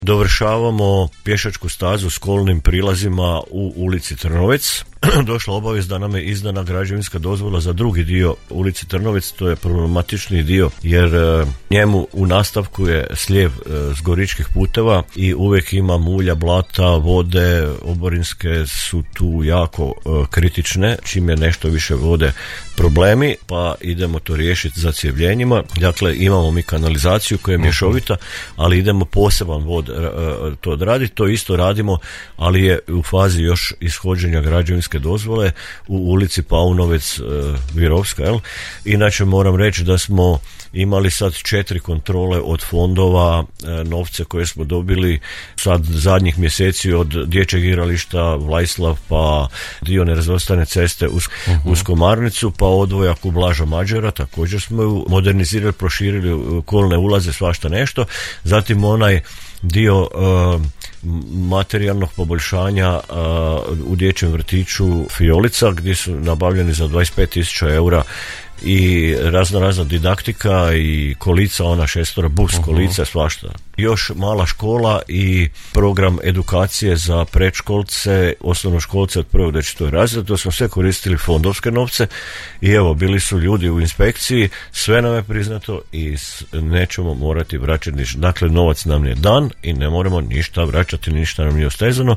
Dovršavamo pješačku stazu s kolnim prilazima u ulici Trnovec. Došla obavijest da nam je izdana građevinska dozvola za drugi dio ulici Trnovec, to je problematični dio jer njemu u nastavku je slijev s Goričkih puteva i uvijek ima mulja, blata, vode, oborinske su tu jako kritične, čim je nešto više vode problemi, pa idemo to riješiti zacjevljenjima. Dakle, imamo mi kanalizaciju koja je mješovita, ali idemo poseban vod to odraditi, to isto radimo, ali je u fazi još ishođenja građevinske dozvole u ulici Paunovec Virovska, jel? Inače moram reći da smo imali sad 4 kontrole od fondova, novce koje smo dobili sad zadnjih mjeseci od dječjeg igrališta Vlajslav, pa dio nerazvrstane ceste uz Komarnicu, pa odvojak u Blaža Mađara, također smo ju modernizirali, proširili kolne ulaze, svašta nešto. Zatim onaj dio materijalnog poboljšanja u dječjem vrtiću Fiolica, gdje su nabavljeni za 25.000 eura i razna didaktika i kolica, ona 6 bus kolica, svašta. Još mala škola i program edukacije za predškolce, osnovnoškolce od 1. do 4. razreda, to smo sve koristili fondovske novce i evo, bili su ljudi u inspekciji, sve nam je priznato i nećemo morati vraćati ništa. Dakle, novac nam je dan i ne moramo ništa vraćati, ništa nam nije ostezano.